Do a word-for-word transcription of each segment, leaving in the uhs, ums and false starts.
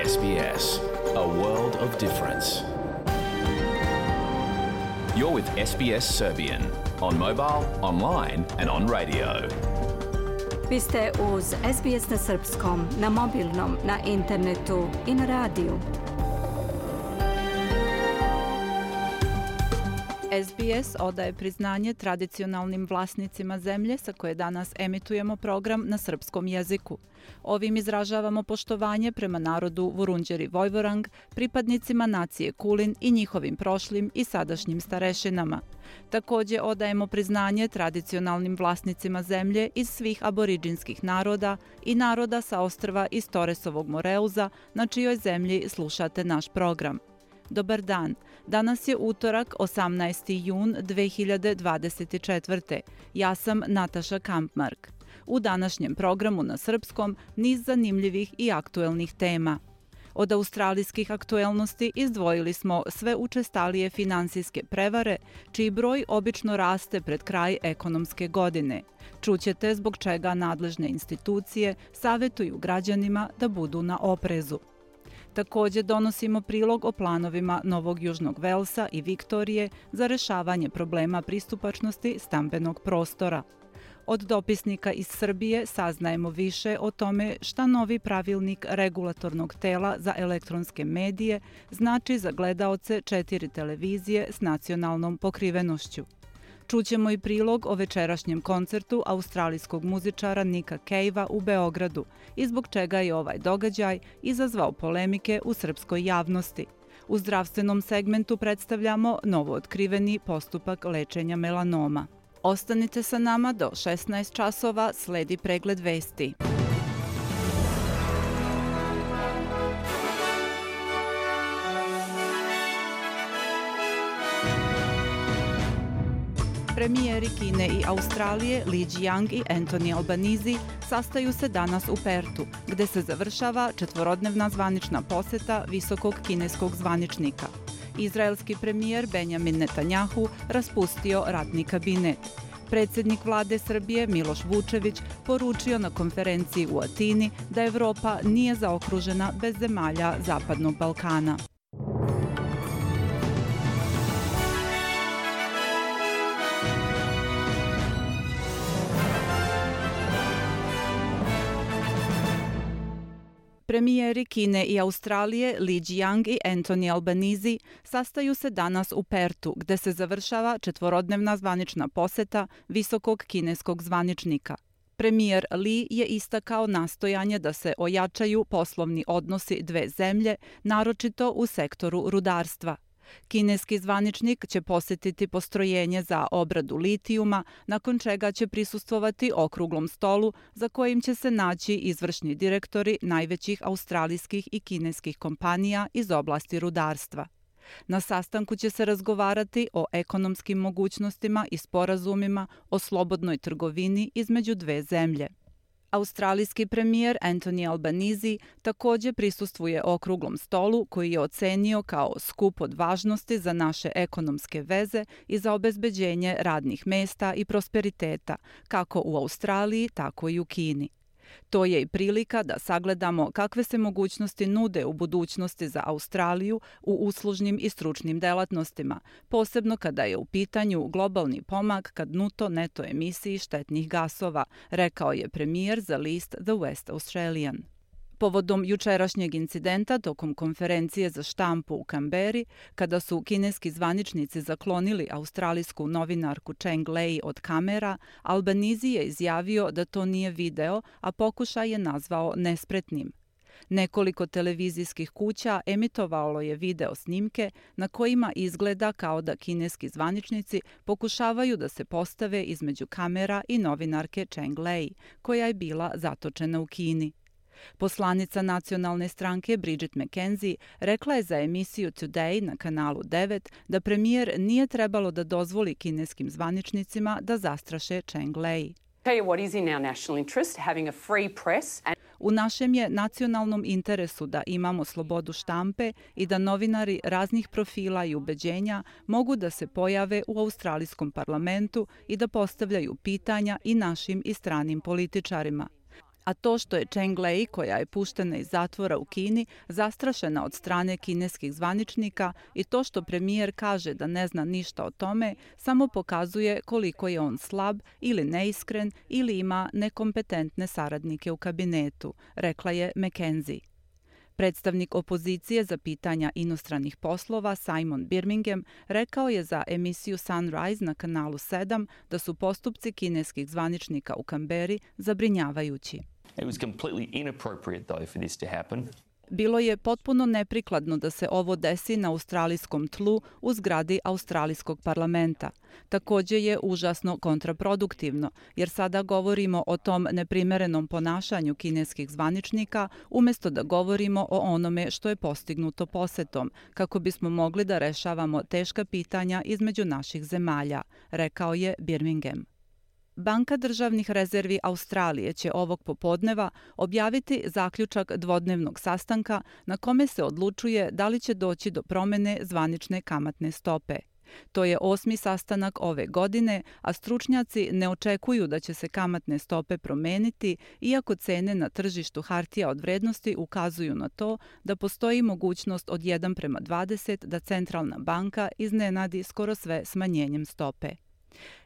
S B S, a world of difference. You're with S B S Serbian on mobile, online and on radio. Vi ste uz S B S na srpskom, na mobilnom, na internetu i na radiju. S B S odaje priznanje tradicionalnim vlasnicima zemlje sa koje danas emitujemo program na srpskom jeziku. Ovim izražavamo poštovanje prema narodu Vurundjeri Vojvorang, pripadnicima nacije Kulin i njihovim prošlim i sadašnjim starešinama. Također odajemo priznanje tradicionalnim vlasnicima zemlje iz svih aboriđinskih naroda i naroda sa ostrva iz Toresovog Moreuza, na čijoj zemlji slušate naš program. Dobar dan, danas je utorak osamnaesti jun dve hiljade dvadeset četvrte. Ja sam Nataša Kampmark. U današnjem programu na srpskom niz zanimljivih i aktuelnih tema. Od australijskih aktuelnosti izdvojili smo sve učestalije finansijske prevare, čiji broj obično raste pred kraj ekonomske godine. Čućete zbog čega nadležne institucije savjetuju građanima da budu na oprezu. Također donosimo prilog o planovima Novog Južnog Velsa i Viktorije za rešavanje problema pristupačnosti stambenog prostora. Od dopisnika iz Srbije saznajemo više o tome šta novi pravilnik regulatornog tela za elektronske medije znači za gledaoce četiri televizije s nacionalnom pokrivenošću. Čućemo i prilog o večerašnjem koncertu australijskog muzičara Nika Cavea u Beogradu i zbog čega je ovaj događaj izazvao polemike u srpskoj javnosti. U zdravstvenom segmentu predstavljamo novootkriveni postupak lečenja melanoma. Ostanite sa nama do šesnaest časova, sledi pregled vesti. Premijeri Kine i Australije Li Qiang i Anthony Albanese sastaju se danas u Pertu, gde se završava četvorodnevna zvanična poseta visokog kineskog zvaničnika. Izraelski premijer Benjamin Netanjahu raspustio ratni kabinet. Predsjednik vlade Srbije Miloš Vučević poručio na konferenciji u Atini da Evropa nije zaokružena bez zemalja Zapadnog Balkana. Premijeri Kine i Australije Li Qiang i Anthony Albanese sastaju se danas u Pertu, gde se završava četvorodnevna zvanična poseta visokog kineskog zvaničnika. Premijer Li je istakao nastojanje da se ojačaju poslovni odnosi dve zemlje, naročito u sektoru rudarstva. Kineski zvaničnik će posjetiti postrojenje za obradu litijuma, nakon čega će prisustvovati okruglom stolu za kojim će se naći izvršni direktori najvećih australijskih i kineskih kompanija iz oblasti rudarstva. Na sastanku će se razgovarati o ekonomskim mogućnostima i sporazumima o slobodnoj trgovini između dve zemlje. Australijski premijer Anthony Albanese također prisustvuje okruglom stolu koji je ocenio kao skup od važnosti za naše ekonomske veze i za obezbeđenje radnih mesta i prosperiteta, kako u Australiji, tako i u Kini. To je i prilika da sagledamo kakve se mogućnosti nude u budućnosti za Australiju u uslužnim i stručnim delatnostima, posebno kada je u pitanju globalni pomak ka bruto neto emisiji štetnih gasova, rekao je premijer za list The West Australian. Povodom jučerašnjeg incidenta tokom konferencije za štampu u Kamberi, kada su kineski zvaničnici zaklonili australijsku novinarku Cheng Lei od kamera, Albanese je izjavio da to nije video, a pokušaj je nazvao nespretnim. Nekoliko televizijskih kuća emitovalo je video snimke na kojima izgleda kao da kineski zvaničnici pokušavaju da se postave između kamera i novinarke Cheng Lei, koja je bila zatočena u Kini. Poslanica nacionalne stranke Bridget McKenzie rekla je za emisiju Today na kanalu devet da premijer nije trebalo da dozvoli kineskim zvaničnicima da zastraše Cheng Lei. U našem je nacionalnom interesu da imamo slobodu štampe i da novinari raznih profila i ubeđenja mogu da se pojave u australijskom parlamentu i da postavljaju pitanja i našim i stranim političarima. A to što je Cheng Lei, koja je puštena iz zatvora u Kini, zastrašena od strane kineskih zvaničnika i to što premijer kaže da ne zna ništa o tome, samo pokazuje koliko je on slab ili neiskren ili ima nekompetentne saradnike u kabinetu, rekla je McKenzie. Predstavnik opozicije za pitanja inostranih poslova Simon Birmingham rekao je za emisiju Sunrise na kanalu sedam da su postupci kineskih zvaničnika u Kamberi zabrinjavajući. It was completely inappropriate, though, for this to happen. Bilo je potpuno neprikladno da se ovo desi na australijskom tlu u zgradi australijskog parlamenta. Takođe je užasno kontraproduktivno, jer sada govorimo o tom neprimerenom ponašanju kineskih zvaničnika umjesto da govorimo o onome što je postignuto posetom, kako bismo mogli da rešavamo teška pitanja između naših zemalja, rekao je Birmingham. Banka državnih rezervi Australije će ovog popodneva objaviti zaključak dvodnevnog sastanka na kome se odlučuje da li će doći do promene zvanične kamatne stope. To je osmi sastanak ove godine, a stručnjaci ne očekuju da će se kamatne stope promeniti, iako cene na tržištu hartija od vrednosti ukazuju na to da postoji mogućnost od jedan prema dvadeset da centralna banka iznenadi skoro sve smanjenjem stope.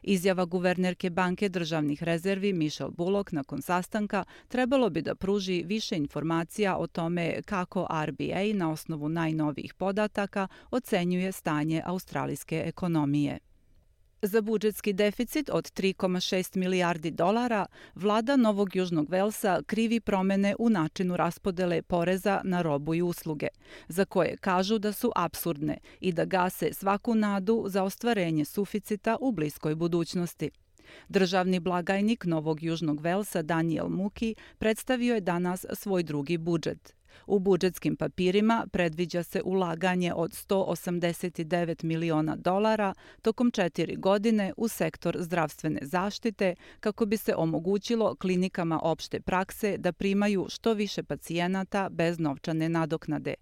Izjava guvernerke Banke državnih rezervi Michelle Bullock nakon sastanka trebalo bi da pruži više informacija o tome kako R B A na osnovu najnovijih podataka ocenjuje stanje australijske ekonomije. Za budžetski deficit od tri zarez šest milijardi dolara, vlada Novog Južnog Velsa krivi promene u načinu raspodele poreza na robu i usluge, za koje kažu da su apsurdne i da gase svaku nadu za ostvarenje suficita u bliskoj budućnosti. Državni blagajnik Novog Južnog Velsa Daniel Muki predstavio je danas svoj drugi budžet. U budžetskim papirima predviđa se ulaganje od sto osamdeset devet miliona dolara tokom četiri godine u sektor zdravstvene zaštite kako bi se omogućilo klinikama opšte prakse da primaju što više pacijenata bez novčane nadoknade.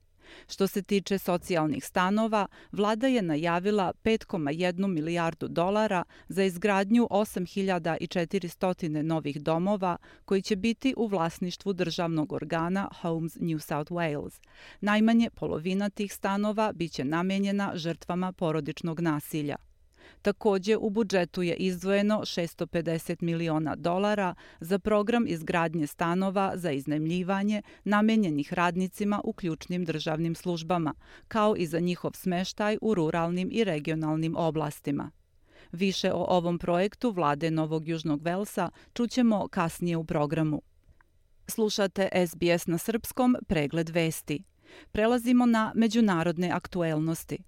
Što se tiče socijalnih stanova, vlada je najavila pet zarez jednu milijardu dolara za izgradnju osam hiljada četiristo novih domova koji će biti u vlasništvu državnog organa Homes New South Wales. Najmanje polovina tih stanova biće namenjena žrtvama porodičnog nasilja. Takođe, u budžetu je izdvojeno šesto pedeset miliona dolara za program izgradnje stanova za iznajmljivanje namenjenih radnicima u ključnim državnim službama, kao i za njihov smeštaj u ruralnim i regionalnim oblastima. Više o ovom projektu vlade Novog Južnog Velsa čućemo kasnije u programu. Slušate S B S na srpskom, pregled vesti. Prelazimo na međunarodne aktuelnosti.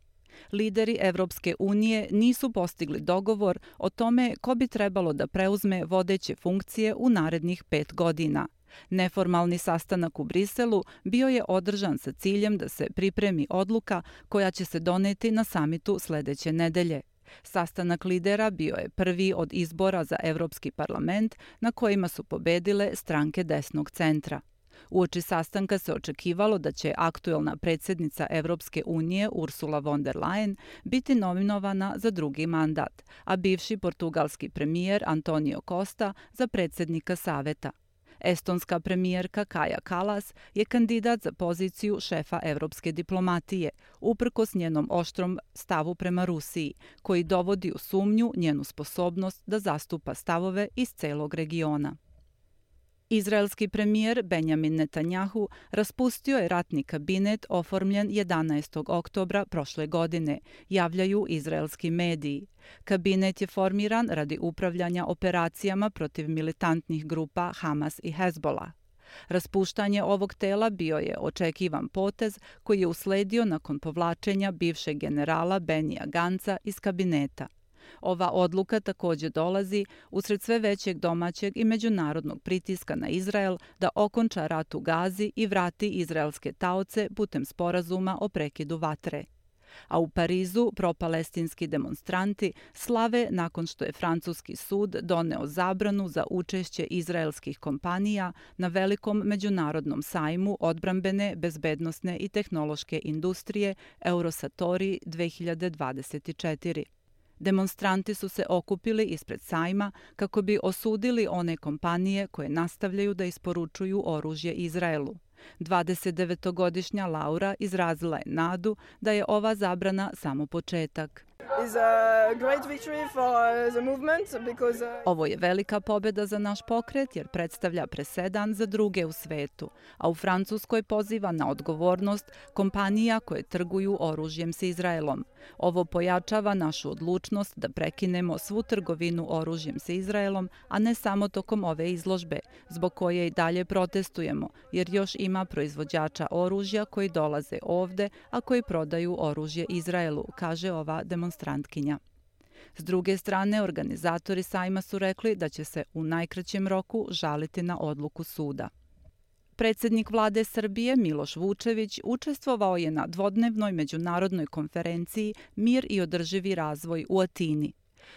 Lideri Evropske unije nisu postigli dogovor o tome ko bi trebalo da preuzme vodeće funkcije u narednih pet godina. Neformalni sastanak u Briselu bio je održan sa ciljem da se pripremi odluka koja će se doneti na samitu sledeće nedelje. Sastanak lidera bio je prvi od izbora za Evropski parlament na kojima su pobedile stranke desnog centra. Uoči sastanka se očekivalo da će aktuelna predsjednica Evropske unije Ursula von der Leyen biti nominovana za drugi mandat, a bivši portugalski premijer Antonio Costa za predsjednika saveta. Estonska premijerka Kaja Kallas je kandidat za poziciju šefa evropske diplomatije, uprkos njenom oštrom stavu prema Rusiji, koji dovodi u sumnju njenu sposobnost da zastupa stavove iz celog regiona. Izraelski premijer Benjamin Netanjahu raspustio je ratni kabinet oformljen jedanaestog oktobra prošle godine, javljaju izraelski mediji. Kabinet je formiran radi upravljanja operacijama protiv militantnih grupa Hamas i Hezbollah. Raspuštanje ovog tela bio je očekivan potez koji je usledio nakon povlačenja bivšeg generala Benija Ganca iz kabineta. Ova odluka takođe dolazi usred sve većeg domaćeg i međunarodnog pritiska na Izrael da okonča rat u Gazi i vrati izraelske taoce putem sporazuma o prekidu vatre. A u Parizu propalestinski demonstranti slave nakon što je francuski sud doneo zabranu za učešće izraelskih kompanija na velikom međunarodnom sajmu odbrambene, bezbednosne i tehnološke industrije Eurosatori dve hiljade dvadeset četiri. Demonstranti su se okupili ispred sajma kako bi osudili one kompanije koje nastavljaju da isporučuju oružje Izraelu. dvadesetdevetogodišnja Laura izrazila je nadu da je ova zabrana samo početak. Ovo je velika pobjeda za naš pokret jer predstavlja presedan za druge u svetu, a u Francuskoj poziva na odgovornost kompanija koje trguju oružjem s Izraelom. Ovo pojačava našu odlučnost da prekinemo svu trgovinu oružjem s Izraelom, a ne samo tokom ove izložbe, zbog koje i dalje protestujemo, jer još ima proizvođača oružja koji dolaze ovde, a koji prodaju oružje Izraelu, kaže ova demonstrantkinja. S druge strane, organizatori sajma su rekli da će se u najkraćem roku žaliti na odluku suda. Predsjednik vlade Srbije Miloš Vučević učestvovao je na dvodnevnoj međunarodnoj konferenciji Mir i održivi razvoj u Atini.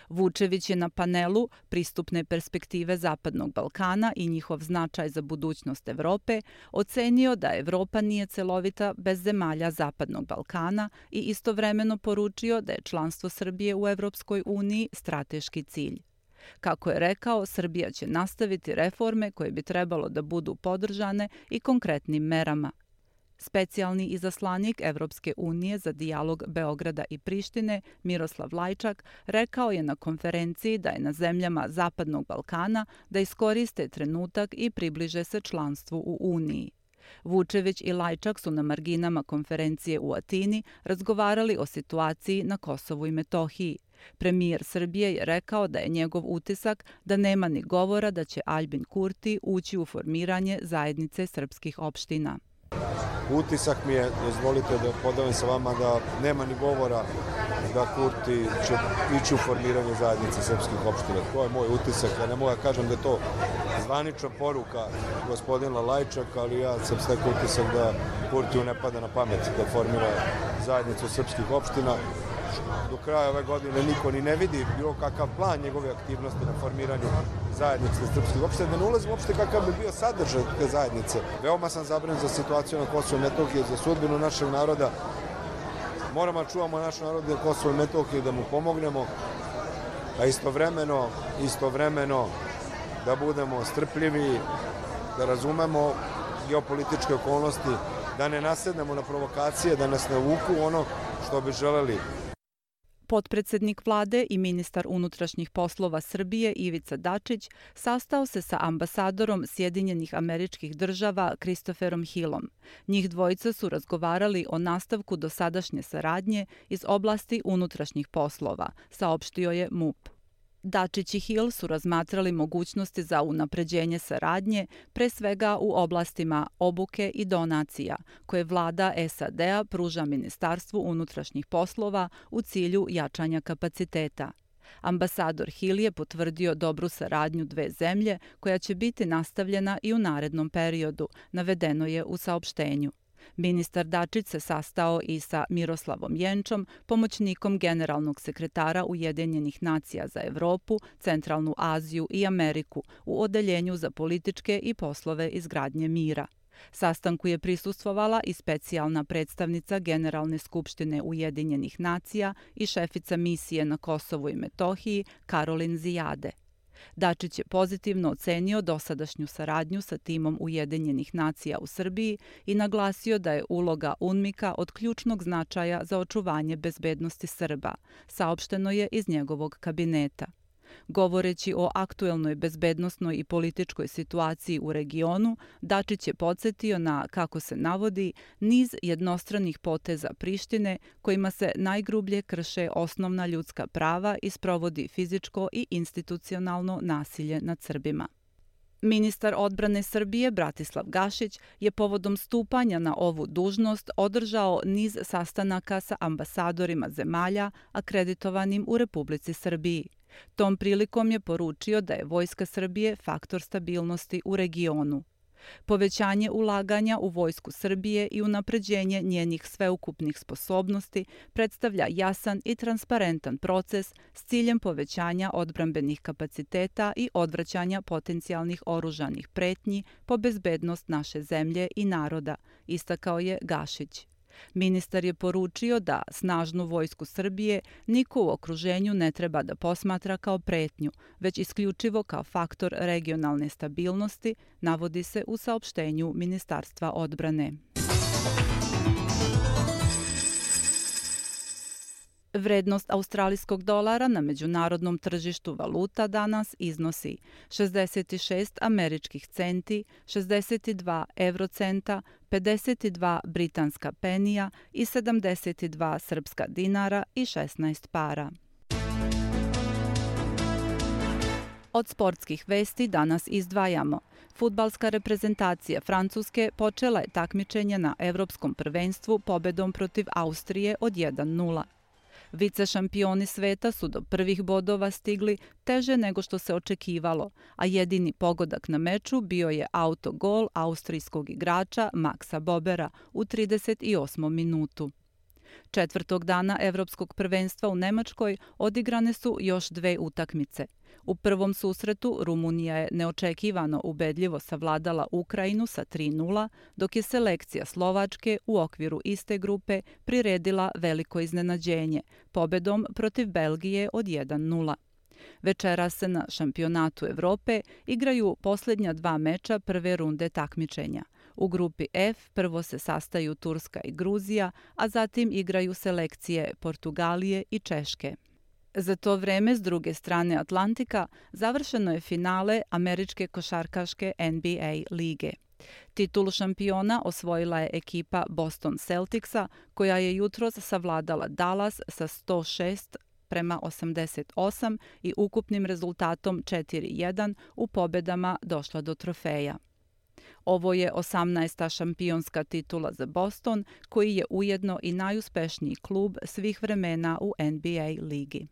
Vučević je na panelu Pristupne perspektive Zapadnog Balkana i njihov značaj za budućnost Evrope ocenio da Evropa nije celovita bez zemalja Zapadnog Balkana i istovremeno poručio da je članstvo Srbije u Evropskoj uniji strateški cilj. Kako je rekao, Srbija će nastaviti reforme koje bi trebalo da budu podržane i konkretnim merama. Specijalni izaslanik Evropske unije za dijalog Beograda i Prištine, Miroslav Lajčak, rekao je na konferenciji da je na zemljama Zapadnog Balkana da iskoriste trenutak i približe se članstvu u Uniji. Vučević i Lajčak su na marginama konferencije u Atini razgovarali o situaciji na Kosovu i Metohiji. Premijer Srbije je rekao da je njegov utisak da nema ni govora da će Aljbin Kurti ući u formiranje zajednice srpskih opština. Utisak mi je, dozvolite da podelim sa vama, da nema ni govora da Kurti će ići u formiranje zajednice srpskih opština. To je moj utisak. Ja ne mogu da kažem da je to zvanična poruka gospodina Lajčaka, ali ja sam stekao utisak da Kurtiju ne pada na pamet da formira zajednicu srpskih opština. Do kraja ove godine niko ni ne vidi bilo kakav plan njegove aktivnosti na formiranju zajednice srpskih opština, da ne ulazim uopšte kakav bi bio sadržaj te zajednice. Veoma sam zabrinut za situaciju na Kosovu i Metohiji, za sudbinu našeg naroda. Moramo da čuvamo naš narod na Kosovu i Metohiji, da mu pomognemo, a istovremeno, istovremeno da budemo strpljivi, da razumemo geopolitičke okolnosti, da ne nasednemo na provokacije, da nas ne uvuku ono što bi želeli. Potpredsednik vlade i ministar unutrašnjih poslova Srbije Ivica Dačić sastao se sa ambasadorom Sjedinjenih Američkih Država Christopherom Hillom. Njih dvojica su razgovarali o nastavku dosadašnje saradnje iz oblasti unutrašnjih poslova, saopštio je MUP. Dačić i Hill su razmatrali mogućnosti za unapređenje saradnje, pre svega u oblastima obuke i donacija, koje vlada S A D-a pruža Ministarstvu unutrašnjih poslova u cilju jačanja kapaciteta. Ambasador Hill je potvrdio dobru saradnju dve zemlje, koja će biti nastavljena i u narednom periodu, navedeno je u saopštenju. Ministar Dačić se sastao i sa Miroslavom Jenčom, pomoćnikom generalnog sekretara Ujedinjenih nacija za Evropu, Centralnu Aziju i Ameriku u Odeljenju za političke i poslove izgradnje mira. Sastanku je prisustvovala i specijalna predstavnica Generalne skupštine Ujedinjenih nacija i šefica misije na Kosovu i Metohiji Karolin Zijade. Dačić je pozitivno ocenio dosadašnju saradnju sa timom Ujedinjenih nacija u Srbiji i naglasio da je uloga UNMIK-a od ključnog značaja za očuvanje bezbednosti Srba, saopšteno je iz njegovog kabineta. Govoreći o aktuelnoj bezbednosnoj i političkoj situaciji u regionu, Dačić je podsjetio na, kako se navodi, niz jednostranih poteza Prištine kojima se najgrublje krše osnovna ljudska prava i sprovodi fizičko i institucionalno nasilje nad Srbima. Ministar odbrane Srbije Bratislav Gašić je povodom stupanja na ovu dužnost održao niz sastanaka sa ambasadorima zemalja akreditovanim u Republici Srbiji. Tom prilikom je poručio da je Vojska Srbije faktor stabilnosti u regionu. Povećanje ulaganja u Vojsku Srbije i unapređenje njenih sveukupnih sposobnosti predstavlja jasan i transparentan proces s ciljem povećanja odbrambenih kapaciteta i odvraćanja potencijalnih oružanih pretnji po bezbednost naše zemlje i naroda, istakao je Gašić. Ministar je poručio da snažnu vojsku Srbije niko u okruženju ne treba da posmatra kao pretnju, već isključivo kao faktor regionalne stabilnosti, navodi se u saopštenju Ministarstva odbrane. Vrednost australijskog dolara na međunarodnom tržištu valuta danas iznosi šezdeset šest američkih centi, šezdeset dva evrocenta, pedeset dva britanska penija i sedamdeset dva srpska dinara i šesnaest para. Od sportskih vesti danas izdvajamo. Fudbalska reprezentacija Francuske počela je takmičenje na Evropskom prvenstvu pobedom protiv Austrije od jedan nula. Vice šampioni sveta su do prvih bodova stigli teže nego što se očekivalo, a jedini pogodak na meču bio je autogol austrijskog igrača Maxa Bobera u trideset osmom minutu. Četvrtog dana Evropskog prvenstva u Nemačkoj odigrane su još dve utakmice. U prvom susretu Rumunija je neočekivano ubedljivo savladala Ukrajinu sa tri nula, dok je selekcija Slovačke u okviru iste grupe priredila veliko iznenađenje, pobedom protiv Belgije od jedan nula. Večeras se na šampionatu Evrope igraju posljednja dva meča prve runde takmičenja. U grupi F prvo se sastaju Turska i Gruzija, a zatim igraju selekcije Portugalije i Češke. Za to vreme, s druge strane Atlantika, završeno je finale američke košarkaške N B A lige. Titulu šampiona osvojila je ekipa Boston Celticsa, koja je jutros savladala Dallas sa sto šest prema osamdeset osam i ukupnim rezultatom četiri jedan u pobedama došla do trofeja. Ovo je osamnaesta šampionska titula za Boston, koji je ujedno i najuspešniji klub svih vremena u N B A ligi.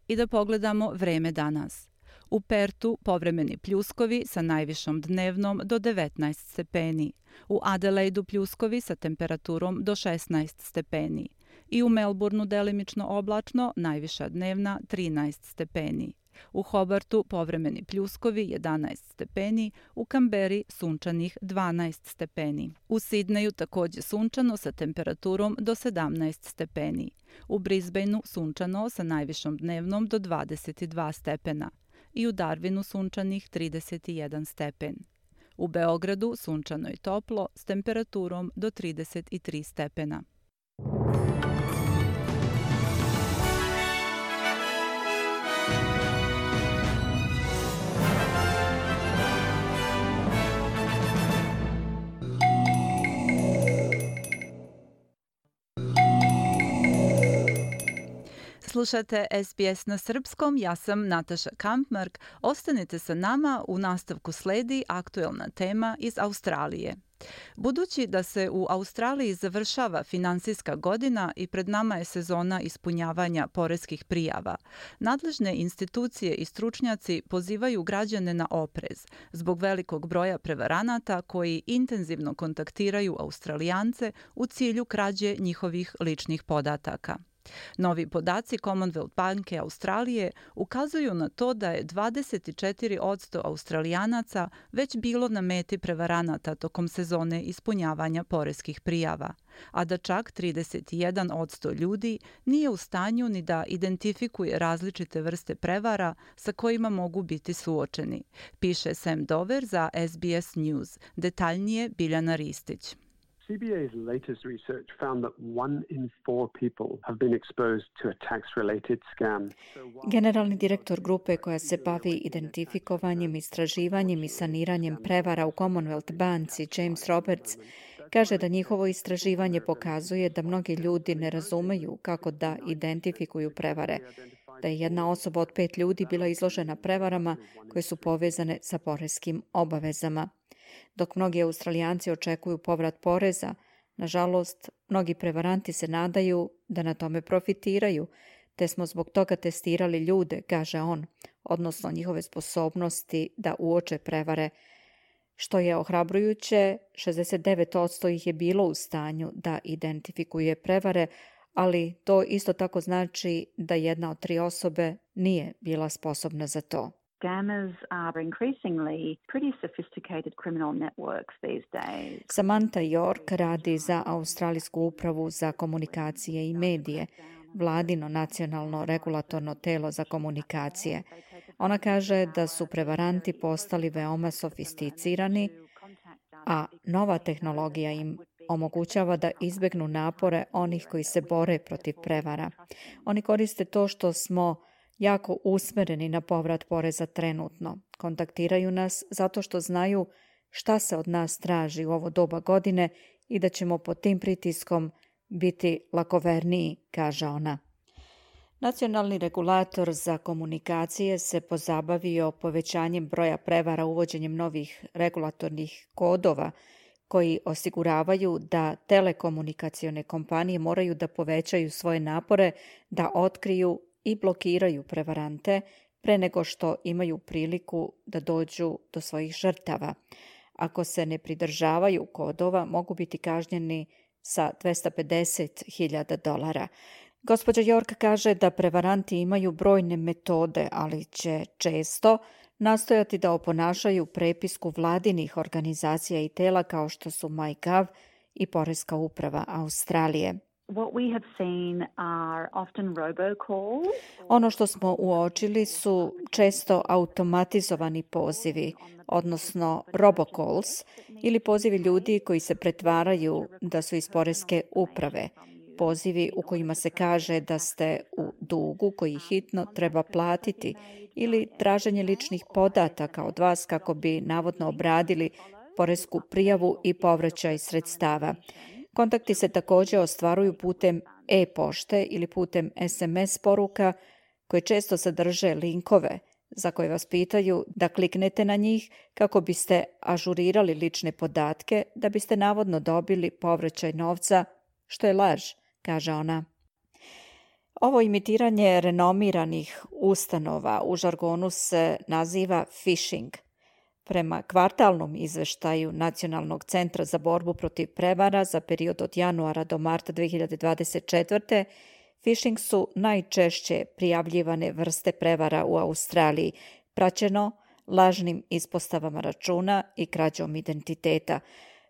I da pogledamo vreme danas. U Pertu povremeni pljuskovi sa najvišom dnevnom do devetnaest stepeni. U Adelaidu pljuskovi sa temperaturom do šesnaest stepeni. I u Melbourneu delimično oblačno, najviša dnevna trinaest stepeni. U Hobartu povremeni pljuskovi jedanaest stepeni, u Kamberi sunčanih dvanaest stepeni. U Sidneju takođe sunčano sa temperaturom do sedamnaest stepeni. U Brisbaneu sunčano sa najvišom dnevnom do dvadeset dva stepena. I u Darwinu sunčanih trideset jedan stepen. U Beogradu sunčano i toplo s temperaturom do trideset tri stepena. Slušate S B S na srpskom, ja sam Nataša Kampmark. Ostanite sa nama, u nastavku sledi aktuelna tema iz Australije. Budući da se u Australiji završava finansijska godina i pred nama je sezona ispunjavanja poreskih prijava, nadležne institucije i stručnjaci pozivaju građane na oprez zbog velikog broja prevaranata koji intenzivno kontaktiraju Australijance u cilju krađe njihovih ličnih podataka. Novi podaci Commonwealth banke Australije ukazuju na to da je dvadeset četiri posto Australijanaca već bilo na meti prevaranata tokom sezone ispunjavanja poreskih prijava, a da čak trideset jedan posto ljudi nije u stanju ni da identifikuje različite vrste prevara sa kojima mogu biti suočeni, piše Sam Dover za S B S News. Detaljnije Biljana Ristić. C B A's latest research found that one in four people have been exposed to a tax-related scam. Generalni direktor grupe koja se bavi identifikovanjem, istraživanjem i saniranjem prevara u Commonwealth banci, James Roberts, kaže da njihovo istraživanje pokazuje da mnogi ljudi ne razumeju kako da identifikuju prevare, da je jedna osoba od pet ljudi bila izložena prevarama koje su povezane sa poreskim obavezama. Dok mnogi Australijanci očekuju povrat poreza, nažalost, mnogi prevaranti se nadaju da na tome profitiraju, te smo zbog toga testirali ljude, kaže on, odnosno njihove sposobnosti da uoče prevare. Što je ohrabrujuće, šezdeset devet posto ih je bilo u stanju da identifikuje prevare, ali to isto tako znači da jedna od tri osobe nije bila sposobna za to. Scammers are increasingly pretty sophisticated criminal networks these days. Samantha York radi za Australijsku upravu za komunikacije i medije, vladino nacionalno regulatorno telo za komunikacije. Ona kaže da su prevaranti postali veoma sofisticirani, a nova tehnologija im omogućava da izbegnu napore onih koji se bore protiv prevara. Oni koriste to što smo jako usmereni na povrat poreza trenutno. Kontaktiraju nas zato što znaju šta se od nas traži u ovo doba godine i da ćemo pod tim pritiskom biti lakoverniji, kaže ona. Nacionalni regulator za komunikacije se pozabavio povećanjem broja prevara uvođenjem novih regulatornih kodova koji osiguravaju da telekomunikacione kompanije moraju da povećaju svoje napore da otkriju i blokiraju prevarante pre nego što imaju priliku da dođu do svojih žrtava. Ako se ne pridržavaju kodova, mogu biti kažnjeni sa dvesta pedeset hiljada dolara. Gospođa York kaže da prevaranti imaju brojne metode, ali će često nastojati da oponašaju prepisku vladinih organizacija i tela kao što su MyGov i Poreska uprava Australije. What we have seen are often robocalls. Ono što smo uočili su često automatizovani pozivi, odnosno robocalls, ili pozivi ljudi koji se pretvaraju da su iz Poreske uprave. Pozivi u kojima se kaže da ste u dugu koji hitno treba platiti ili traženje ličnih podataka od vas kako bi navodno obradili poresku prijavu i povraćaj sredstava. Kontakti se također ostvaruju putem e-pošte ili putem es em es poruka koje često sadrže linkove za koje vas pitaju da kliknete na njih kako biste ažurirali lične podatke da biste navodno dobili povraćaj novca, što je laž, kaže ona. Ovo imitiranje renomiranih ustanova u žargonu se naziva phishing. Prema kvartalnom izveštaju Nacionalnog centra za borbu protiv prevara za period od januara do marta dve hiljade dvadeset četvrte. phishing su najčešće prijavljivane vrste prevara u Australiji, praćeno lažnim ispostavama računa i krađom identiteta.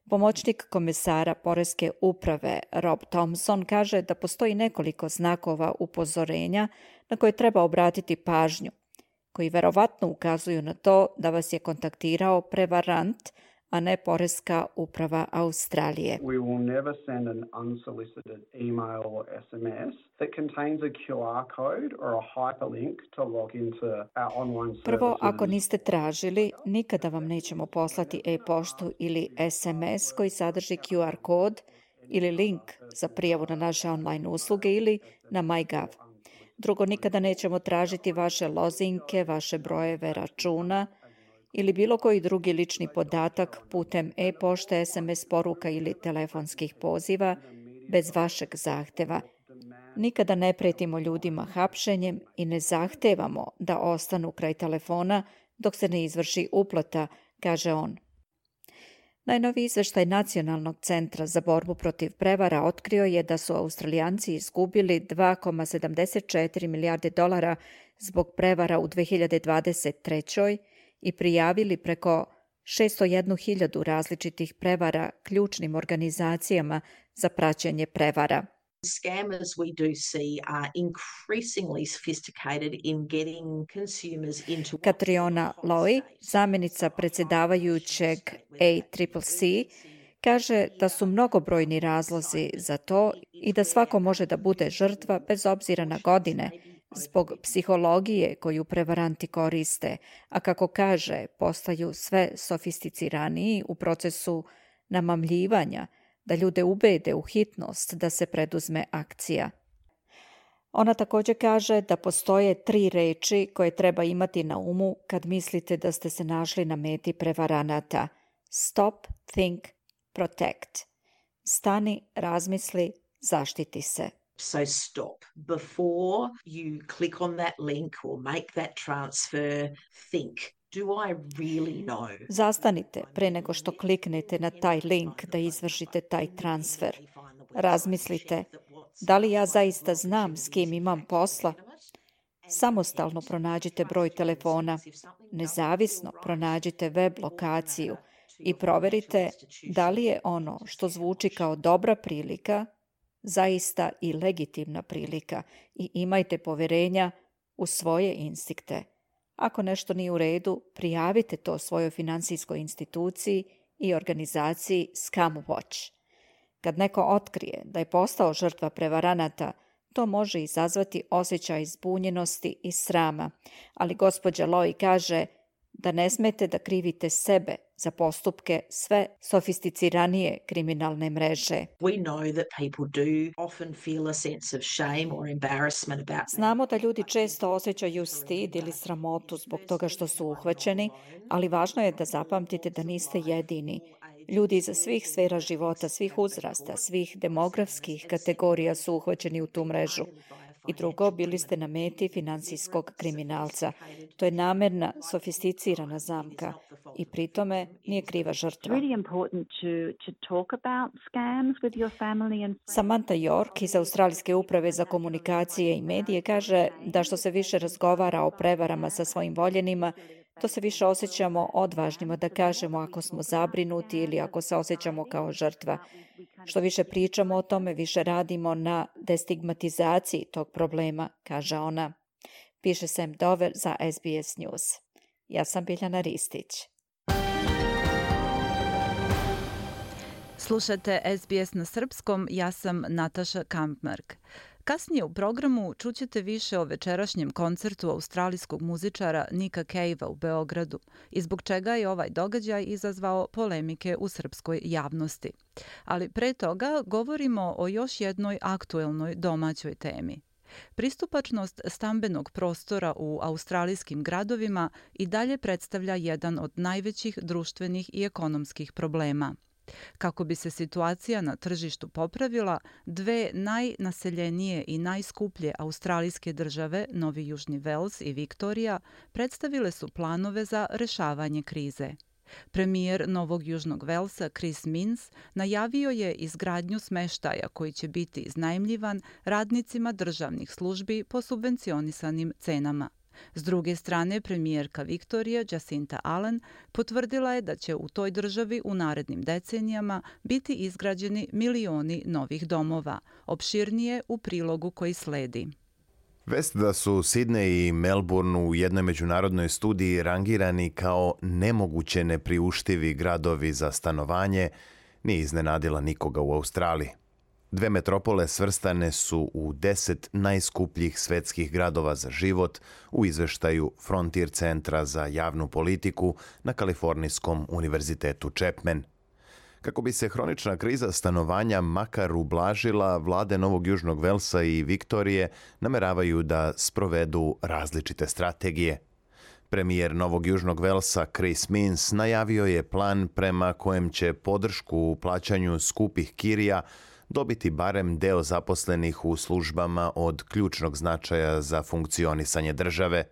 Pomoćnik komesara Poreske uprave Rob Thompson kaže da postoji nekoliko znakova upozorenja na koje treba obratiti pažnju, koji verovatno ukazuju na to da vas je kontaktirao prevarant, a ne Poreska uprava Australije. We will never send an unsolicited email or es em es that contains a Q R code or a hyperlink to log into our online services. Prvo, ako niste tražili, nikada vam nećemo poslati e-poštu ili es em es koji sadrži Q R kod ili link za prijavu na naše online usluge ili na MyGov. Drugo, nikada nećemo tražiti vaše lozinke, vaše brojeve računa ili bilo koji drugi lični podatak putem e-pošte, es em es poruka ili telefonskih poziva bez vašeg zahteva. Nikada ne pretimo ljudima hapšenjem i ne zahtevamo da ostanu kraj telefona dok se ne izvrši uplata, kaže on. Najnoviji izveštaj Nacionalnog centra za borbu protiv prevara otkrio je da su Australijanci izgubili dva zarez sedamdeset četiri milijarde dolara zbog prevara u dve hiljade dvadeset trećoj. i prijavili preko šesto jednu hiljadu različitih prevara ključnim organizacijama za praćenje prevara. Scammers we do see are increasingly sophisticated in getting consumers into... Katriona Lowy, zamjenica predsjedavajućeg A C C C, kaže da su mnogobrojni razlozi za to i da svako može da bude žrtva bez obzira na godine, zbog psihologije koju prevaranti koriste, a kako kaže, postaju sve sofisticiraniji u procesu namamljivanja, da ljude ubede u hitnost da se preduzme akcija. Ona također kaže da postoje tri reči koje treba imati na umu kad mislite da ste se našli na meti prevaranata. Stop, think, protect. Stani, razmisli, zaštiti se. So stop. Before you click on that link or make that transfer, think. Do I really know? Zastanite pre nego što kliknete na taj link da izvršite taj transfer. Razmislite, da li ja zaista znam s kim imam posla? Samostalno pronađite broj telefona, nezavisno pronađite web lokaciju i proverite da li je ono što zvuči kao dobra prilika zaista i legitimna prilika i imajte poverenja u svoje instinkte. Ako nešto nije u redu, prijavite to svojoj finansijskoj instituciji i organizaciji Scam Watch. Kad neko otkrije da je postao žrtva prevaranata, to može izazvati osjećaj zbunjenosti i srama, ali gospođa Loy kaže da ne smete da krivite sebe za postupke sve sofisticiranije kriminalne mreže. We know that people do often feel a sense of shame or embarrassment about. Znamo da ljudi često osjećaju stid ili sramotu zbog toga što su uhvaćeni, ali važno je da zapamtite da niste jedini. Ljudi iz svih sfera života, svih uzrasta, svih demografskih kategorija su uhvaćeni u tu mrežu. I drugo, bili ste na meti finansijskog kriminalca. To je namerna, sofisticirana zamka i pri tome nije kriva žrtva. Samantha York iz Australijske uprave za komunikacije i medije kaže da što se više razgovara o prevarama sa svojim voljenima, to se više osjećamo odvažnima da kažemo ako smo zabrinuti ili ako se osjećamo kao žrtva. Što više pričamo o tome, više radimo na destigmatizaciji tog problema, kaže ona. Piše Sam Dover za S B S News. Ja sam Biljana Ristić. Slušate S B S na srpskom, ja sam Nataša Kampmark. Kasnije u programu čućete više o večerašnjem koncertu australijskog muzičara Nika Cavea u Beogradu i zbog čega je ovaj događaj izazvao polemike u srpskoj javnosti. Ali pre toga govorimo o još jednoj aktuelnoj domaćoj temi. Pristupačnost stambenog prostora u australijskim gradovima i dalje predstavlja jedan od najvećih društvenih i ekonomskih problema. Kako bi se situacija na tržištu popravila, dve najnaseljenije i najskuplje australijske države, Novi Južni Vels i Viktorija, predstavile su planove za rešavanje krize. Premijer Novog Južnog Velsa Chris Minns najavio je izgradnju smeštaja koji će biti iznajmljivan radnicima državnih službi po subvencionisanim cenama. S druge strane, premijerka Viktorije Jacinta Allen potvrdila je da će u toj državi u narednim decenijama biti izgrađeni milioni novih domova, opširnije u prilogu koji sledi. Vest da su Sidney i Melbourne u jednoj međunarodnoj studiji rangirani kao nemoguće nepriuštivi gradovi za stanovanje nije iznenadila nikoga u Australiji. Dve metropole svrstane su u deset najskupljih svetskih gradova za život u izveštaju Frontier centra za javnu politiku na Kalifornijskom univerzitetu Chapman. Kako bi se hronična kriza stanovanja makar ublažila, vlade Novog Južnog Velsa i Viktorije nameravaju da sprovedu različite strategije. Premijer Novog Južnog Velsa Chris Minns najavio je plan prema kojem će podršku u plaćanju skupih kirija dobiti barem deo zaposlenih u službama od ključnog značaja za funkcionisanje države.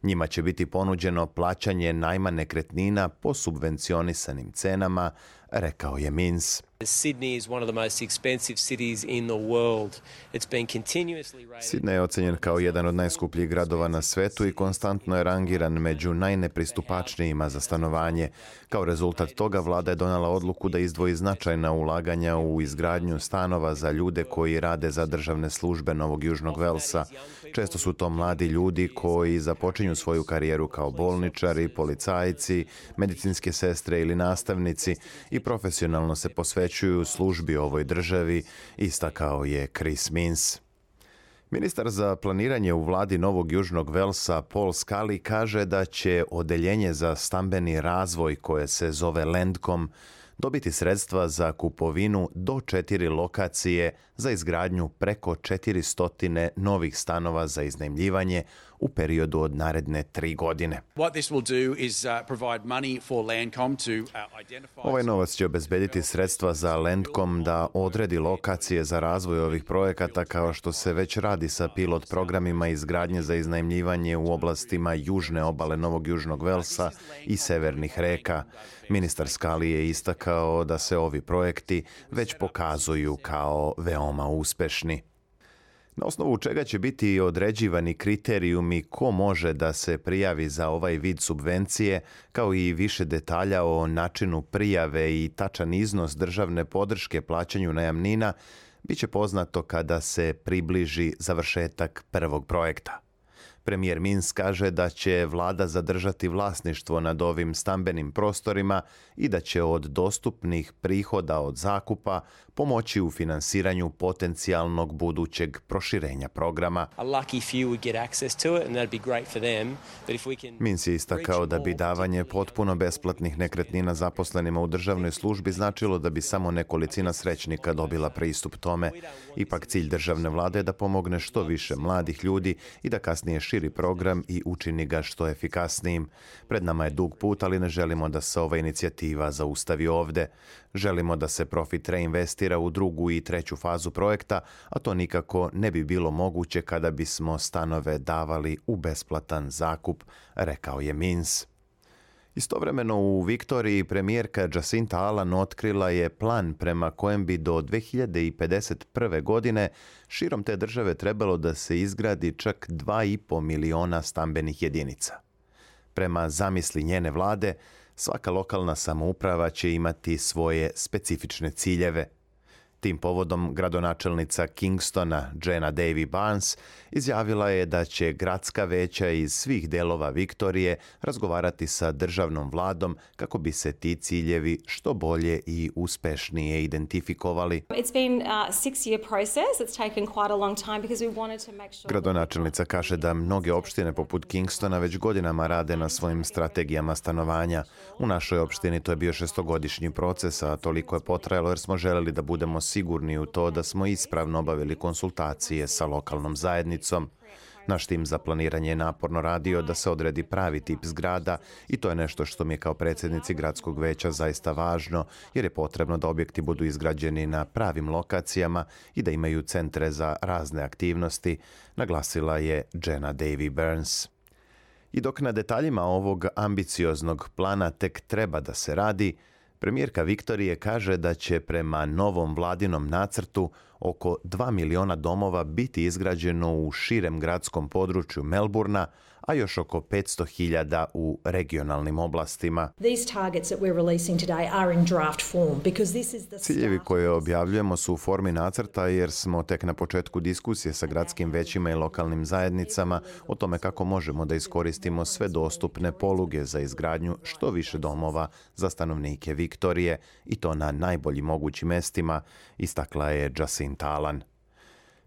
Njima će biti ponuđeno plaćanje najma nekretnina po subvencionisanim cenama, rekao je Minns. Sydney is one of the most expensive cities in the world. It's been continuously rated. Sydney je ocenjen kao jedan od najskupljih gradova na svetu i konstantno je rangiran među najnepristupačnijima za stanovanje. Kao rezultat toga vlada je donela odluku da izdvoji značajna ulaganja u izgradnju stanova za ljude koji rade za državne službe Novog Južnog Velsa. Često su to mladi ljudi koji započinju svoju karijeru kao bolničari, policajci, medicinske sestre ili nastavnici i profesionalno se posvećuju službi ovoj državi, istakao je Chris Minns. Ministar za planiranje u vladi Novog Južnog Velsa Paul Scully kaže da će odeljenje za stambeni razvoj koje se zove Landcom dobiti sredstva za kupovinu do četiri lokacije za izgradnju preko četiristo novih stanova za iznajmljivanje u periodu od naredne tri godine. Ovaj novac će obezbediti sredstva za Landcom da odredi lokacije za razvoj ovih projekata kao što se već radi sa pilot programima izgradnje za iznajmljivanje u oblastima južne obale Novog Južnog Velsa i severnih reka. Ministar Scully je istakao da se ovi projekti već pokazuju kao veoma uspešni. Na osnovu čega će biti određivani kriterijumi ko može da se prijavi za ovaj vid subvencije, kao i više detalja o načinu prijave i tačan iznos državne podrške plaćanju najamnina, bit će poznato kada se približi završetak prvog projekta. Premijer Minns kaže da će vlada zadržati vlasništvo nad ovim stambenim prostorima i da će od dostupnih prihoda od zakupa pomoći u finansiranju potencijalnog budućeg proširenja programa. Minns je istakao da bi davanje potpuno besplatnih nekretnina zaposlenima u državnoj službi značilo da bi samo nekolicina srećnika dobila pristup tome. Ipak cilj državne vlade je da pomogne što više mladih ljudi i da kasnije širi program i učini ga što efikasnijim. Pred nama je dug put, ali ne želimo da se ova inicijativa zaustavi ovde. Želimo da se profit reinvestira u drugu i treću fazu projekta, a to nikako ne bi bilo moguće kada bismo stanove davali u besplatan zakup, rekao je Minns. Istovremeno u Viktoriji premijerka Jacinta Allan otkrila je plan prema kojem bi do dve hiljade pedeset prve. godine širom te države trebalo da se izgradi čak dva i po miliona stambenih jedinica. Prema zamisli njene vlade, svaka lokalna samouprava će imati svoje specifične ciljeve. Tim povodom gradonačelnica Kingstona, Jenna Davy Barnes, izjavila je da će gradska veća iz svih delova Viktorije razgovarati sa državnom vladom kako bi se ti ciljevi što bolje i uspešnije identifikovali. Gradonačelnica kaže da mnoge opštine poput Kingstona već godinama rade na svojim strategijama stanovanja. U našoj opštini to je bio šestogodišnji proces, a toliko je potrajalo jer smo želeli da budemo sigurni u to da smo ispravno obavili konsultacije sa lokalnom zajednicom. Naš tim za planiranje je naporno radio da se odredi pravi tip zgrada i to je nešto što mi je kao predsjednici gradskog veća zaista važno, jer je potrebno da objekti budu izgrađeni na pravim lokacijama i da imaju centre za razne aktivnosti, naglasila je Jenna Davy Barnes. I dok na detaljima ovog ambicioznog plana tek treba da se radi, premijerka Viktorije kaže da će prema novom vladinom nacrtu oko dva miliona domova biti izgrađeno u širem gradskom području Melburna, a još oko petsto hiljada u regionalnim oblastima. Ciljevi koje objavljujemo su u formi nacrta jer smo tek na početku diskusije sa gradskim većima i lokalnim zajednicama o tome kako možemo da iskoristimo sve dostupne poluge za izgradnju što više domova za stanovnike Viktorije i to na najboljim mogućim mestima, istakla je Jacinta Allan.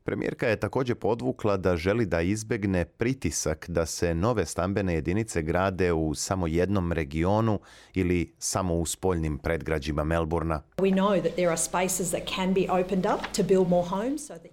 Premijerka je također podvukla da želi da izbegne pritisak da se nove stambene jedinice grade u samo jednom regionu ili samo u spoljnim predgrađima Melburna.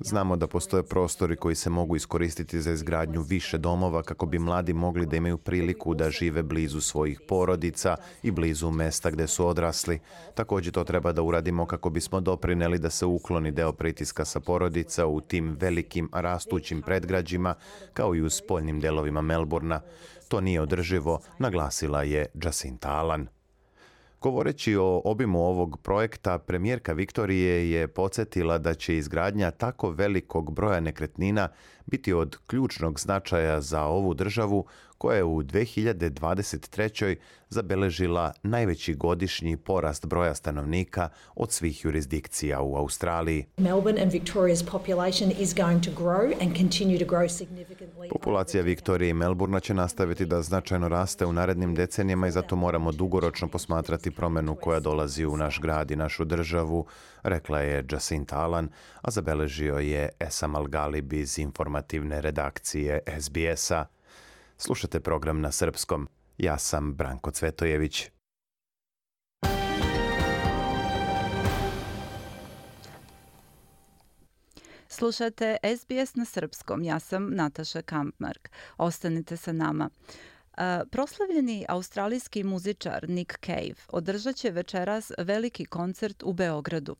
Znamo da postoje prostori koji se mogu iskoristiti za izgradnju više domova kako bi mladi mogli da imaju priliku da žive blizu svojih porodica i blizu mesta gde su odrasli. Također to treba da uradimo kako bismo doprineli da se ukloni deo pritiska sa porodica u tim velikim rastućim predgrađima kao i u spoljnim delovima Melburna. To nije održivo, naglasila je Jacinta Allan. Govoreći o obimu ovog projekta, premijerka Viktorije je podsjetila da će izgradnja tako velikog broja nekretnina biti od ključnog značaja za ovu državu koja je u dve hiljade dvadeset trećoj. zabeležila najveći godišnji porast broja stanovnika od svih jurisdikcija u Australiji. Populacija Viktorije i Melburna će nastaviti da značajno raste u narednim decenijama i zato moramo dugoročno posmatrati promenu koja dolazi u naš grad i našu državu, rekla je Jacinta Allan, a zabeležio je Esam Al-Galib iz informativne redakcije S B S-a. Slušate program na srpskom. Ja sam Branko Cvetojević. Slušate S B S na srpskom. Ja sam Nataša Kampmark. Ostanite sa nama. Proslavljeni australijski muzičar Nick Cave održat će večeras veliki koncert u Beogradu.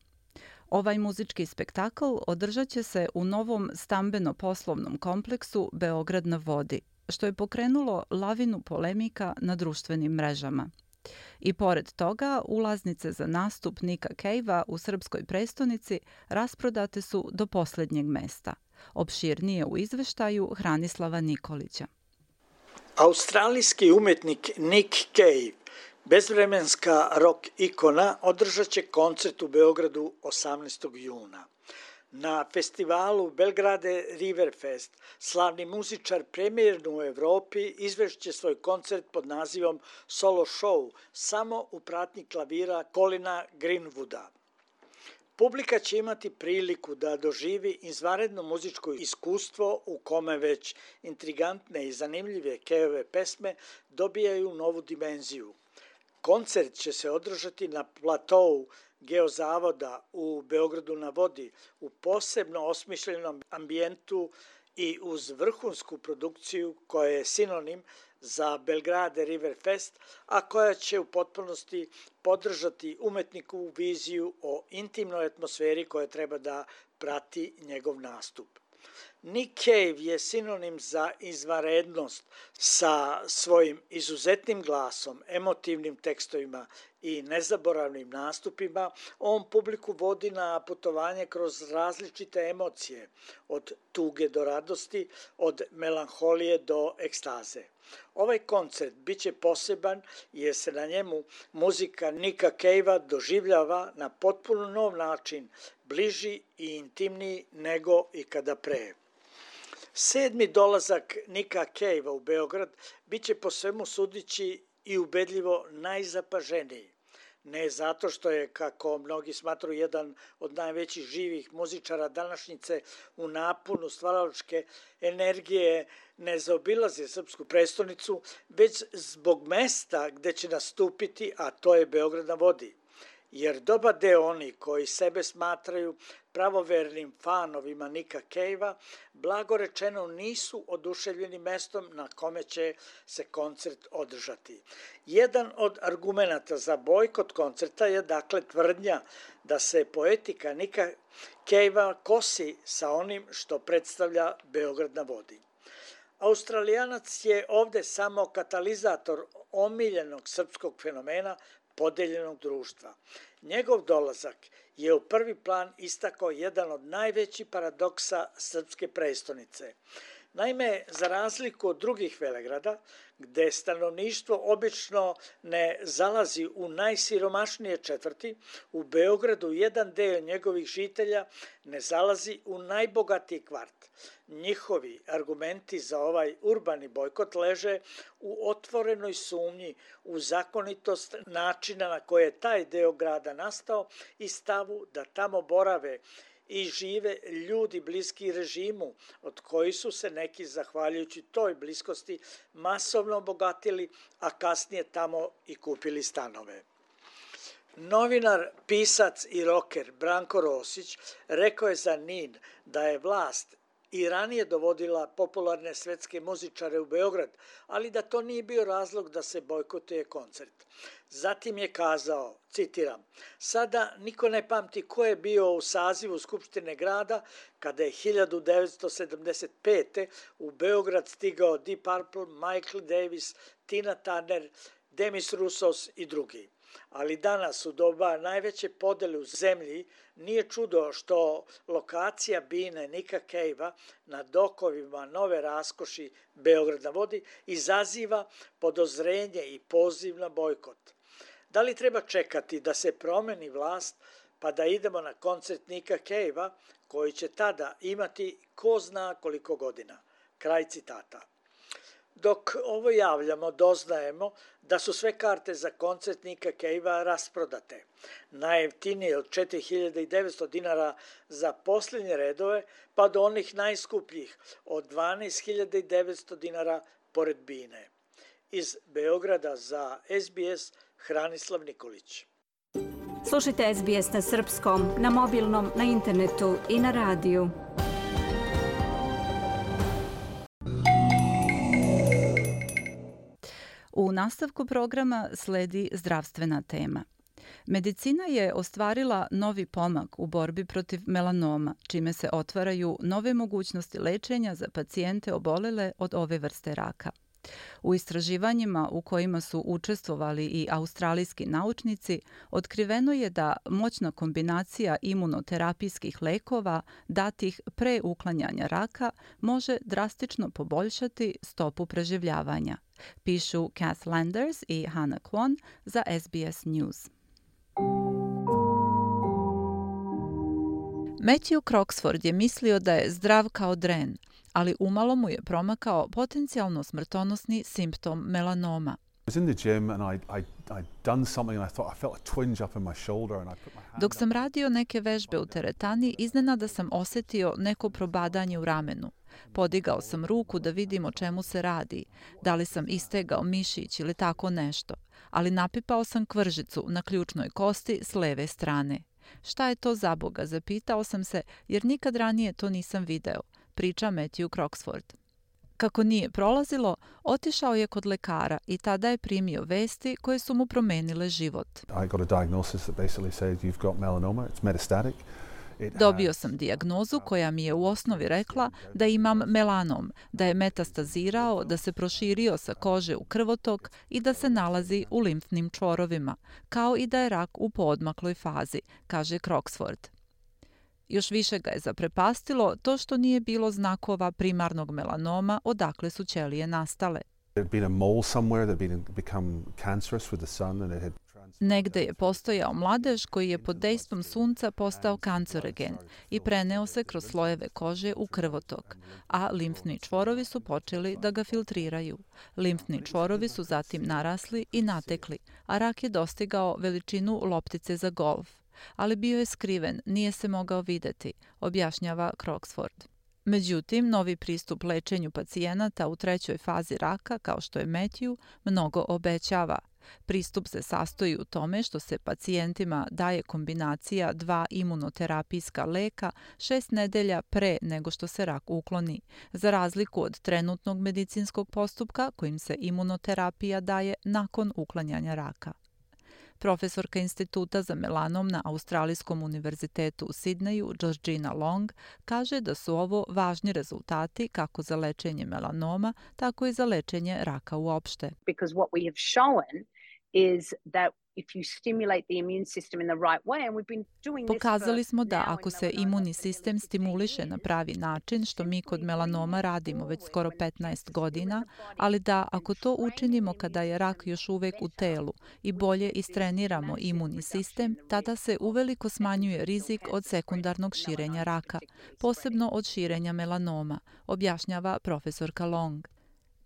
Ovaj muzički spektakl održat će se u novom stambeno-poslovnom kompleksu Beograd na vodi, što je pokrenulo lavinu polemika na društvenim mrežama. I pored toga, ulaznice za nastup Nicka Cavea u srpskoj prestonici rasprodate su do posljednjeg mesta. Opširnije u izveštaju Hranislava Nikolića. Australijski umetnik Nick Cave, bezvremenska rock ikona, održat će koncert u Beogradu osamnaestog juna. Na festivalu Belgrade Riverfest slavni muzičar premijerno u Evropi izvešće svoj koncert pod nazivom Solo Show samo u pratnji klavira Colina Greenwooda. Publika će imati priliku da doživi izvanredno muzičko iskustvo u kome već intrigantne i zanimljive Caveove pesme dobijaju novu dimenziju. Koncert će se održati na platou Geozavoda u Beogradu na vodi u posebno osmišljenom ambijentu i uz vrhunsku produkciju koja je sinonim za Belgrade Riverfest, a koja će u potpunosti podržati umetnikovu viziju o intimnoj atmosferi koja treba da prati njegov nastup. Nick Cave je sinonim za izvanrednost sa svojim izuzetnim glasom, emotivnim tekstovima i nezaboravnim nastupima. On publiku vodi na putovanje kroz različite emocije, od tuge do radosti, od melanholije do ekstaze. Ovaj koncert biće poseban jer se na njemu muzika Nicka Cavea doživljava na potpuno nov način, bliži i intimniji nego ikada pre. Sedmi dolazak Nicka Cavea u Beograd biće po svemu sudići i ubedljivo najzapaženiji. Ne zato što je, kako mnogi smatruju, jedan od najvećih živih muzičara današnjice u naponu stvaralačke energije ne zaobilazi srpsku prestonicu, već zbog mesta gde će nastupiti, a to je Beograd na vodi. Jer dobar deo oni koji sebe smatraju pravovernim fanovima Nicka Cavea, blago rečeno nisu oduševljeni mestom na kome će se koncert održati. Jedan od argumenata za bojkot koncerta je dakle tvrdnja da se poetika Nicka Cavea kosi sa onim što predstavlja Beograd na vodi. Australijanac je ovde samo katalizator omiljenog srpskog fenomena podeljenog društva. Njegov dolazak je u prvi plan istakao jedan od najvećih paradoksa srpske prestonice. Naime, za razliku od drugih velegrada, gde stanovništvo obično ne zalazi u najsiromašnije četvrti, u Beogradu jedan deo njegovih žitelja ne zalazi u najbogatiji kvart. Njihovi argumenti za ovaj urbani bojkot leže u otvorenoj sumnji u zakonitost načina na koje je taj deo grada nastao i stavu da tamo borave i žive ljudi bliski režimu, od koji su se neki, zahvaljujući toj bliskosti, masovno obogatili, a kasnije tamo i kupili stanove. Novinar, pisac i roker Branko Rosić rekao je za N I N da je vlast i ranije dovodila popularne svetske muzičare u Beograd, ali da to nije bio razlog da se bojkotuje koncert. Zatim je kazao, citiram, sada niko ne pamti ko je bio u sazivu Skupštine grada kada je hiljadu devetsto sedamdeset pete. u Beograd stigao Deep Purple, Michael Davis, Tina Turner, Demis Roussos i drugi. Ali danas, u doba najveće podele u zemlji, nije čudo što lokacija bine Nicka Cavea na dokovima nove raskoši Beograd na vodi izaziva podozrenje i poziv na bojkot. Da li treba čekati da se promeni vlast pa da idemo na koncert Nicka Cavea koji će tada imati ko zna koliko godina? Kraj citata. Dok ovo javljamo, doznajemo da su sve karte za koncert Nicka Cavea rasprodate. Najjeftinije od četiri hiljade devetsto dinara za posljednje redove, pa do onih najskupljih od dvanaest hiljada devetsto dinara pored bine. Iz Beograda za S B S Hranislav Nikolić. Slušajte S B S na srpskom, na mobilnom, na internetu i na radiju. U nastavku programa sledi zdravstvena tema. Medicina je ostvarila novi pomak u borbi protiv melanoma, čime se otvaraju nove mogućnosti lečenja za pacijente obolele od ove vrste raka. U istraživanjima u kojima su učestvovali i australijski naučnici, otkriveno je da moćna kombinacija imunoterapijskih lekova datih pre uklanjanja raka može drastično poboljšati stopu preživljavanja, pišu Kath Landers i Hannah Kwon za S B S News. Matthew Croxford je mislio da je zdrav kao dren, ali umalo mu je promakao potencijalno smrtonosni simptom melanoma. Dok sam radio neke vežbe u teretani, iznenada sam osjetio neko probadanje u ramenu. Podigao sam ruku da vidim o čemu se radi, da li sam istegao mišić ili tako nešto, ali napipao sam kvržicu na ključnoj kosti s leve strane. Šta je to za Boga, zapitao sam se, jer nikad ranije to nisam video, priča Matthew Croxford. Kako nije prolazilo, otišao je kod lekara i tada je primio vesti koje su mu promenile život. Dobio sam dijagnozu koja mi je u osnovi rekla da imam melanom, da je metastazirao, da se proširio sa kože u krvotok i da se nalazi u limfnim čvorovima, kao i da je rak u poodmakloj fazi, kaže Croxford. Još više ga je zaprepastilo to što nije bilo znakova primarnog melanoma odakle su ćelije nastale. Negde je postojao mladež koji je pod dejstvom sunca postao kancerogen i preneo se kroz slojeve kože u krvotok, a limfni čvorovi su počeli da ga filtriraju. Limfni čvorovi su zatim narasli i natekli, a rak je dostigao veličinu loptice za golf. Ali bio je skriven, nije se mogao videti, objašnjava Croxford. Međutim, novi pristup lečenju pacijenata u trećoj fazi raka, kao što je Matthew, mnogo obećava. Pristup se sastoji u tome što se pacijentima daje kombinacija dva imunoterapijska leka šest nedelja pre nego što se rak ukloni, za razliku od trenutnog medicinskog postupka kojim se imunoterapija daje nakon uklanjanja raka. Profesorka Instituta za melanom na Australijskom univerzitetu u Sidneju, Georgina Long, kaže da su ovo važni rezultati kako za lečenje melanoma, tako i za lečenje raka uopšte. Because what we have shown is that if you stimulate the immune system in the right way, and we've been doing this. Pokazali smo da ako se imunni sistem stimuliše na pravi način, što mi kod melanoma radimo već skoro petnaest godina, ali da ako to učinimo kada je rak još uvek u telu i bolje istreniramo imunni sistem, tada se uveliko smanjuje rizik od sekundarnog širenja raka, posebno od širenja melanoma, objašnjava profesorka Long.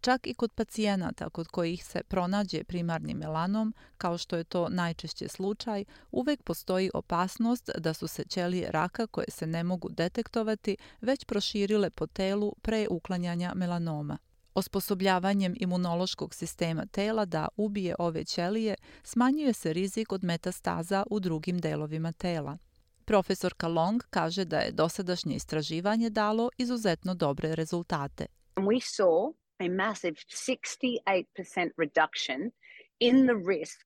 Čak i kod pacijenata kod kojih se pronađe primarni melanom, kao što je to najčešće slučaj, uvek postoji opasnost da su se ćelije raka koje se ne mogu detektovati već proširile po telu pre uklanjanja melanoma. Osposobljavanjem imunološkog sistema tela da ubije ove ćelije smanjuje se rizik od metastaza u drugim delovima tela. Profesorka Long kaže da je dosadašnje istraživanje dalo izuzetno dobre rezultate. We saw a massive sixty-eight percent reduction in the risk.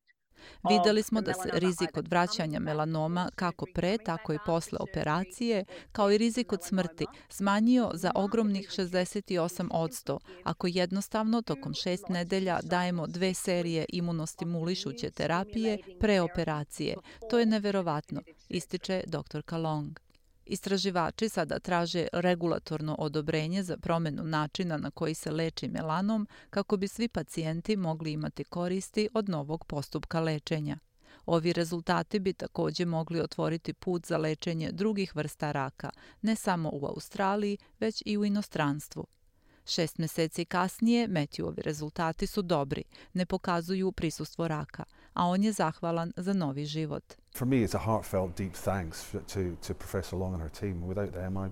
Videli smo da se rizik od vraćanja melanoma kako pre, tako i posle operacije, kao i rizik od smrti, smanjio za ogromnih šezdeset osam posto ako jednostavno tokom šest nedelja dajemo dve serije imunostimulišuće terapije pre operacije. To je neverovatno, ističe doktorka Long. Istraživači sada traže regulatorno odobrenje za promenu načina na koji se leči melanom kako bi svi pacijenti mogli imati koristi od novog postupka lečenja. Ovi rezultati bi također mogli otvoriti put za lečenje drugih vrsta raka, ne samo u Australiji, već i u inostranstvu. Šest meseci kasnije Matthewovi rezultati su dobri, ne pokazuju prisustvo raka, a on je zahvalan za novi život. For me, it's a heartfelt, deep thanks to, to Professor Long and her team. Without them, I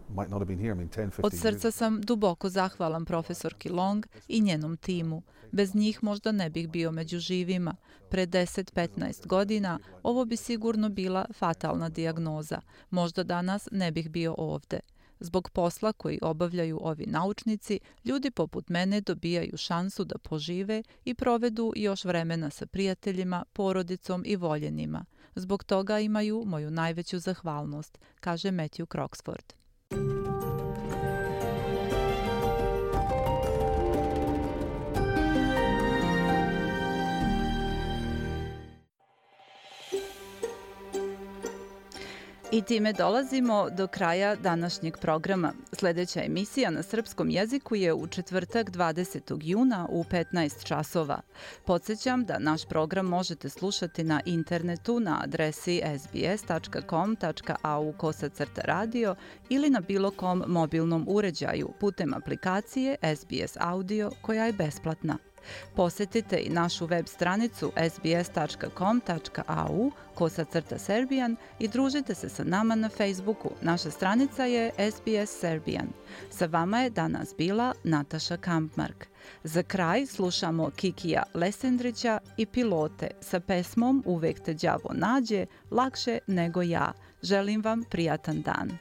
might not have been here. I mean, ten, fifteen Od srca sam duboko zahvalan profesorki Long i njenom timu. Bez njih možda ne bih bio među živima. Pre deset do petnaest godina ovo bi sigurno bila fatalna dijagnoza. Možda danas ne bih bio ovde. Zbog posla koji obavljaju ovi naučnici, ljudi poput mene dobijaju šansu da požive i provedu još vremena sa prijateljima, porodicom i voljenima. Zbog toga imaju moju najveću zahvalnost, kaže Matthew Croxford. I time dolazimo do kraja današnjeg programa. Sljedeća emisija na srpskom jeziku je u četvrtak dvadesetog juna u petnaest časova. Podsjećam da naš program možete slušati na internetu na adresi s b s tačka com tačka a u kosacrta radio ili na bilo kom mobilnom uređaju putem aplikacije S B S Audio koja je besplatna. Posjetite i našu web stranicu s b s tačka com tačka a u kosacrta Serbian i družite se sa nama na Facebooku. Naša stranica je S B S Serbian. Sa vama je danas bila Nataša Kampmark. Za kraj slušamo Kikija Lesendrića i Pilote sa pesmom Uvek te đavo nađe, lakše nego ja. Želim vam prijatan dan.